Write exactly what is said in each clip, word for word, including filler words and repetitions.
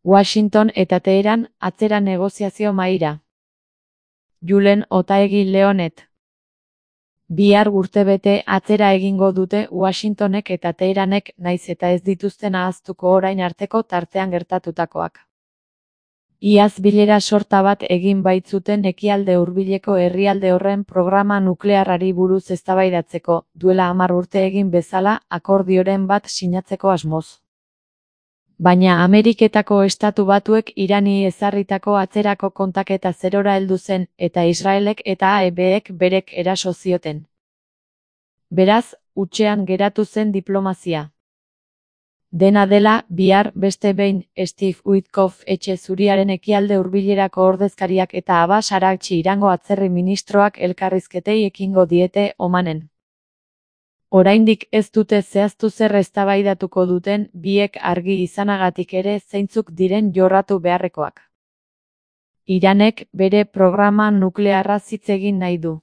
Washington eta Teheran atzera negoziazio mahaira. Julen Otaegi Leonet. Bihar urtebete atzera egingo dute Washingtonek eta Teheranek naiz eta ez dituzten ahaztuko orain arteko tartean gertatutakoak. Iaz bilera sorta bat egin baitzuten ekialde hurbileko herrialde horren programa nuklearrari buruz eztabaidatzeko, duela hamar urte egin bezala akordioren bat sinatzeko asmoz. Baina Ameriketako Estatu Batuek Irani ezarritako atzerako kontaketa zerora heldu zen eta Israelek eta A E Bek berek eraso zioten. Beraz, hutsean geratu zen diplomazia. Dena dela, bihar beste behin Steve Witkoff etxe zuriaren ekialde hurbilerako ordezkariak eta Abbas Araghchi Irango atzerri ministroak elkarrizketei ekingo diete Omanen. Oraindik ez dute zehaztu zer eztabaidatuko duten, biek argi izanagatik ere zeintzuk diren jorratu beharrekoak. Iranek bere programa nuklearra hitz egin nahi du.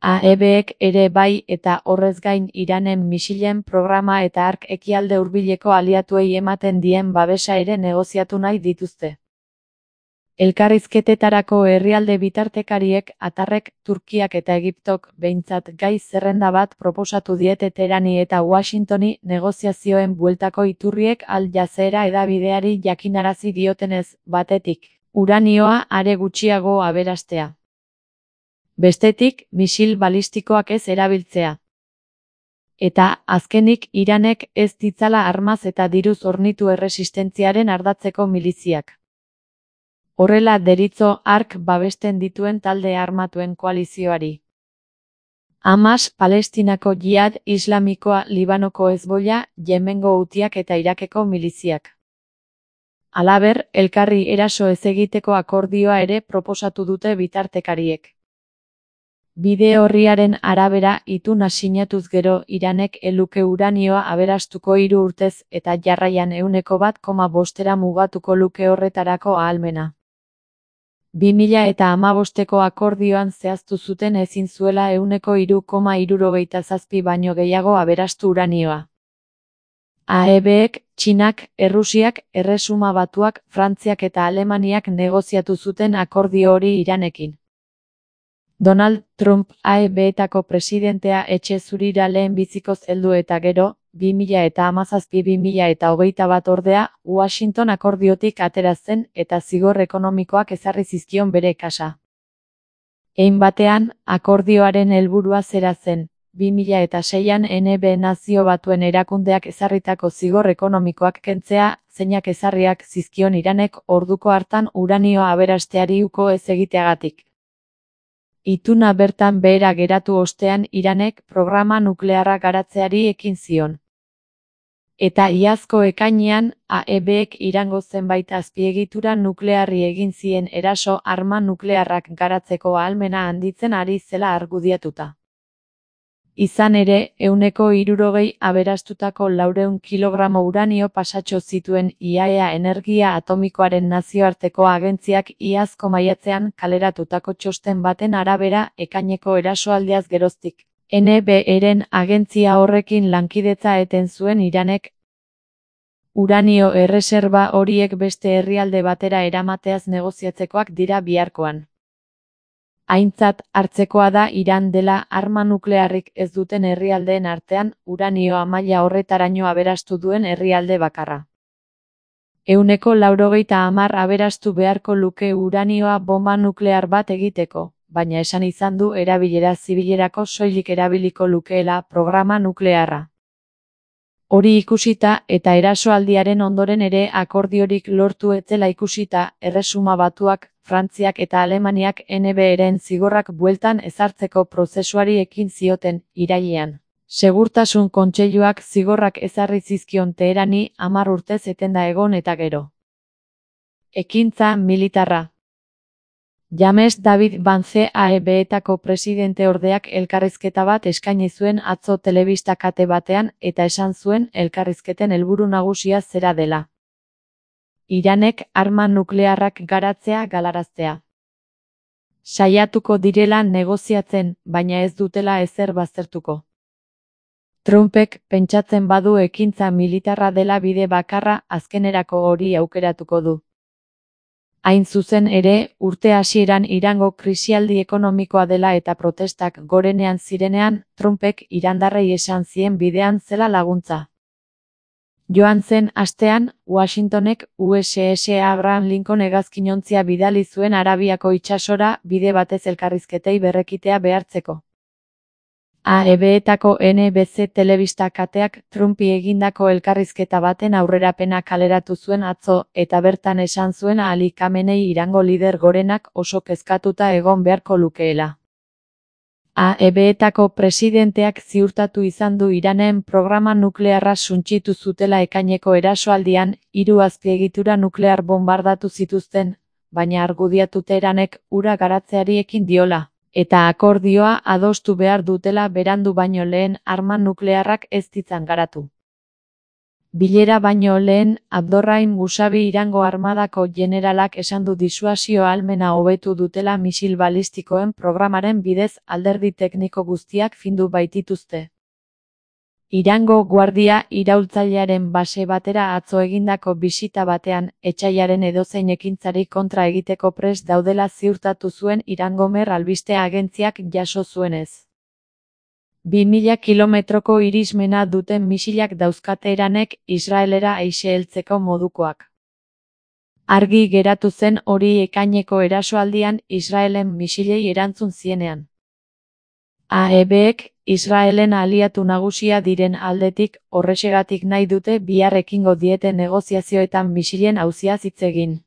A E Bek ere bai eta horrez gain Iranen misilen programa eta hark ekialde hurbileko aliatuei ematen dien babesa ere negoziatu nahi dituzte. Elkarrizketetarako herrialde bitartekariek, Atarrek, Turkiak eta Egiptok behintzat gai zerrenda bat proposatu diete Teherani eta Washingtoni negoziazioen bueltako iturriek Al Jazeera hedabideari jakinarazi diotenez, batetik, uranioa are gutxiago aberastea. Bestetik, misil balistikoak ez erabiltzea. Eta, azkenik, Iranek ez ditzala armaz eta diruz hornitu erresistentziaren ardatzeko miliziak. Horrela deritzo hark babesten dituen talde armatuen koalizioari. Hamas, Palestinako Jihad Islamikoa, Libanoko Hezbollah, Yemengo Hutiak eta Irakeko miliziak. Halaber, elkarri eraso ez egiteko akordioa ere proposatu dute bitartekariek. Bide orriaren arabera ituna sinatuz gero Iranek eluke uranioa aberastuko hiru urtez eta jarraian ehuneko bat koma bostera mugatuko luke horretarako ahalmena. bi mila eta hamabosteko akordioan zehaztu zuten ezin zuela ehuneko hiru koma hirurogeita zazpi baino gehiago aberastu uranioa. A E Bek, Txinak, Errusiak, Erresuma Batuak, Frantziak eta Alemaniak negoziatu zuten akordio hori Iranekin. Donald Trump A E Betako presidentea etxe zurira lehen bizikoz heldu eta gero, bi mila eta hamazazpi bi mila eta hogeita bat ordea, Washington akordiotik atera zen eta zigor ekonomikoak ezarri zizkion bere kasa. Hein batean, akordioaren helburua zera zen, bi mila eta seian N B Nazio Batuen erakundeak ezarritako zigor ekonomikoak kentzea, zeinak ezarriak zizkion Iranek orduko hartan uranioa aberasteari uko ez egiteagatik. Ituna bertan behera geratu ostean Iranek programa nuklearra garatzeari ekin zion. Eta iazko ekainean, A E Bek Irango zenbait azpiegitura nuklearri egin zien eraso arma nuklearrak garatzeko ahalmena handitzen ari zela argudiatuta. Izan ere, ehuneko hirurogei aberastutako laurehun kilogramo uranio pasatxo zituen I A E A Energia Atomikoaren nazioarteko agentziak iazko maiatzean kaleratutako txosten baten arabera ekaineko erasoaldiaz geroztik. N B Eren agentzia horrekin lankidetza eten zuen Iranek. Uranio erreserba horiek beste herrialde batera eramateaz negoziatzekoak dira biharkoan. Aintzat hartzekoa da Iran dela arma nuklearrik ez duten herrialdeen artean uranioa maila horretaraino aberastu duen herrialde bakarra. Ehuneko laurogeita hamar aberastu beharko luke uranioa bomba nuklear bat egiteko, baina esan izan du erabilera zibilerako soilik erabiliko lukeela programa nuklearra. Hori ikusita eta erasoaldiaren ondoren ere akordiorik lortu etzela ikusita, Erresuma Batuak, Frantziak eta Alemaniak N B Eren zigorrak bueltan ezartzeko prozesuari ekin zioten, irailean. Segurtasun Kontseiluak zigorrak ezarri zizkion Teherani hamar urtez etenda egon eta gero. Ekintza militarra. James David Vance A E Betako presidente ordeak elkarrizketa bat eskaini zuen atzo telebista kate batean eta esan zuen elkarrizketen helburu nagusia zera dela. Iranek arma nuklearrak garatzea galaraztea. Saiatuko direla negoziatzen, baina ez dutela ezer baztertuko. Trumpek pentsatzen badu ekintza militarra dela bide bakarra, azkenerako hori aukeratuko du. Hain zuzen ere, urte hasieran Irango krisialdi ekonomikoa dela eta protestak gorenean zirenean, Trumpek irandarrei esan zien bidean zela laguntza. Joan zen astean, Washingtonek U S S Abraham Lincoln hegazkinontzia bidali zuen Arabiako itsasora bide batez elkarrizketei berrekitea behartzeko. A E B-etako N B C telebista kateak Trumpi egindako elkarrizketa baten aurrerapena kaleratu zuen atzo, eta bertan esan zuen Ali Khamenei Irango lider gorenak oso kezkatuta egon beharko lukeela. A E B-etako presidenteak ziurtatu izan du Iranen programa nuklearra suntsitu zutela ekaineko erasoaldian, hiru azpiegitura nuklear bombardatu zituzten, baina argudiatu Teheranek hura garatzeari ekin diola, eta akordioa adostu behar dutela berandu baino lehen arma nuklearrak ez ditzan garatu. Bilera baino lehen, Abdorrahim Musavi Irango armadako generalak esan du disuasio ahalmena hobetu dutela misil balistikoen programaren bidez alderdi tekniko guztiak findu baitituzte. Irango guardia iraultzailearen base batera atzo egindako bisita batean, etsaiaren edozein ekintzari kontra egiteko prest daudela ziurtatu zuen Irango Mer albiste agentziak jaso zuenez. Bi mila kilometroko irismena duten misilak dauzkate Iranek Israelera aise heltzeko modukoak. Argi geratu zen hori ekaineko erasoaldian Israelen misilei erantzun zienean. A E B-ek Israelen aliatu nagusia diren aldetik horrexegatik nahi dute bihar ekingo diete negoziazioetan misilen auziaz hitz egin.